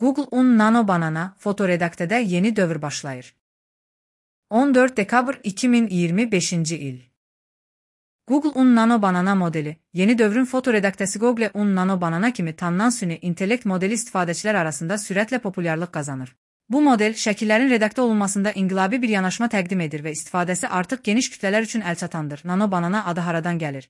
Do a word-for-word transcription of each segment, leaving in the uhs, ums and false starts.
Google Un Nano Banana fotoredaktede yeni dövr başlayır. on dörd dekabr iki min iyirmi beşinci il. Google Un Nano Banana modeli, yeni dövrün fotoredaktesi Google Un Nano Banana kimi tanınan süni intellekt modeli istifadəçilər arasında sürətlə populyarlıq qazanır. Bu model, şəkillərin redaktə olunmasında inqilabi bir yanaşma təqdim edir və istifadəsi artıq geniş kütlələr üçün əlçatandır. Nano Banana adı haradan gəlir?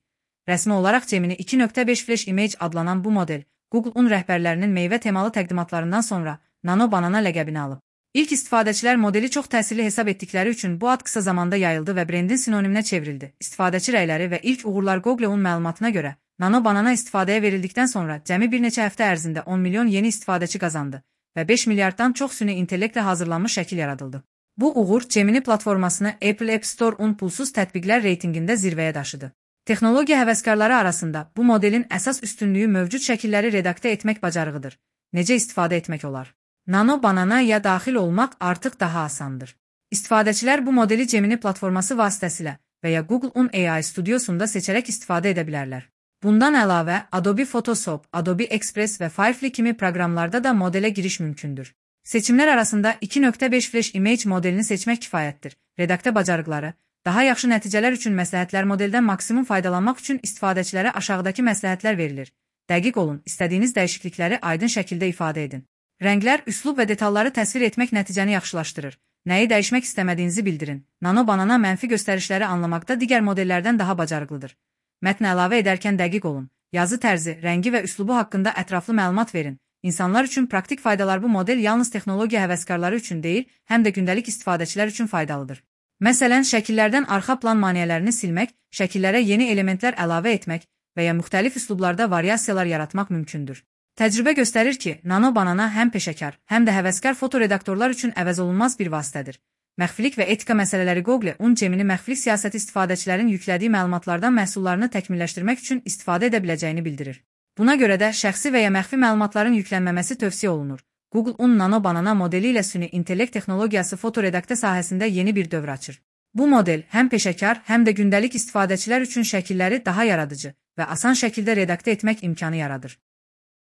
Rəsmi olaraq Gemini iki nöqtə beş Flash Image adlanan bu model, Google Un rəhbərlərinin meyvə temalı təqdimatlarından sonra Nano Banana ləqəbini alıb. İlk istifadəçilər modeli çox təsirli hesab etdikləri üçün bu ad qısa zamanda yayıldı və brendin sinoniminə çevrildi. İstifadəçi rəyləri və ilk uğurlar Google Un məlumatına görə, Nano Banana istifadəyə verildikdən sonra cəmi bir neçə həftə ərzində on milyon yeni istifadəçi qazandı və beş milyarddan çox süni intellektlə hazırlanmış şəkil yaradıldı. Bu uğur Gemini platformasını Apple App Store Un pulsuz tətbiqlər reytingində zirvəyə daşıdı. Texnologiya həvəskarları arasında bu modelin əsas üstünlüyü mövcud şəkilləri redaktə etmək bacarığıdır. Necə istifadə etmək olar? Nano Banana'ya daxil olmaq artıq daha asandır. İstifadəçilər bu modeli Gemini platforması vasitəsilə və ya Google Un A I studiosunda seçərək istifadə edə bilərlər. Bundan əlavə, Adobe Photoshop, Adobe Express və Firefly kimi proqramlarda da modelə giriş mümkündür. Seçimlər arasında iki nöqtə beş Flash Image modelini seçmək kifayətdir. Redaktə bacarıqları, daha yaxşı nəticələr üçün məsləhətlər modeldən maksimum faydalanmaq üçün istifadəçilərə aşağıdakı məsləhətlər verilir. Dəqiq olun, istədiyiniz dəyişiklikləri aydın şəkildə ifadə edin. Rənglər, üslub və detalları təsvir etmək nəticəni yaxşılaşdırır. Nəyi dəyişmək istəmədiyinizi bildirin. Nano Banana mənfi göstərişləri anlamaqda digər modellərdən daha bacarıqlıdır. Mətn əlavə edərkən dəqiq olun. Yazı tərzi, rəngi və üslubu haqqında ətraflı məlumat verin. İnsanlar üçün praktik faydalar bu model yalnız texnologiya həvəskarları üçün deyil, həm də gündəlik istifadəçilər üçün faydalıdır. Məsələn, şəkillərdən arxa plan maneələrini silmək, şəkillərə yeni elementlər əlavə etmək və ya müxtəlif üslublarda variasiyalar yaratmaq mümkündür. Təcrübə göstərir ki, Nano Banana həm peşəkar, həm də həvəskar fotoredaktorlar üçün əvəzolunmaz bir vasitədir. Məxfilik və etika məsələləri Google Un Gemini məxfilik siyasəti istifadəçilərin yüklədiyi məlumatlardan məhsullarını təkmilləşdirmək üçün istifadə edə biləcəyini bildirir. Buna görə də şəxsi və ya məxfi məlumatların yüklənməməsi tövsiyə olunur. Google Un Nano Banana modeli ilə süni intellekt texnologiyası fotoredaktə sahəsində yeni bir dövr açır. Bu model həm peşəkar, həm də gündəlik istifadəçilər üçün şəkilləri daha yaradıcı və asan şəkildə redaktə etmək imkanı yaradır.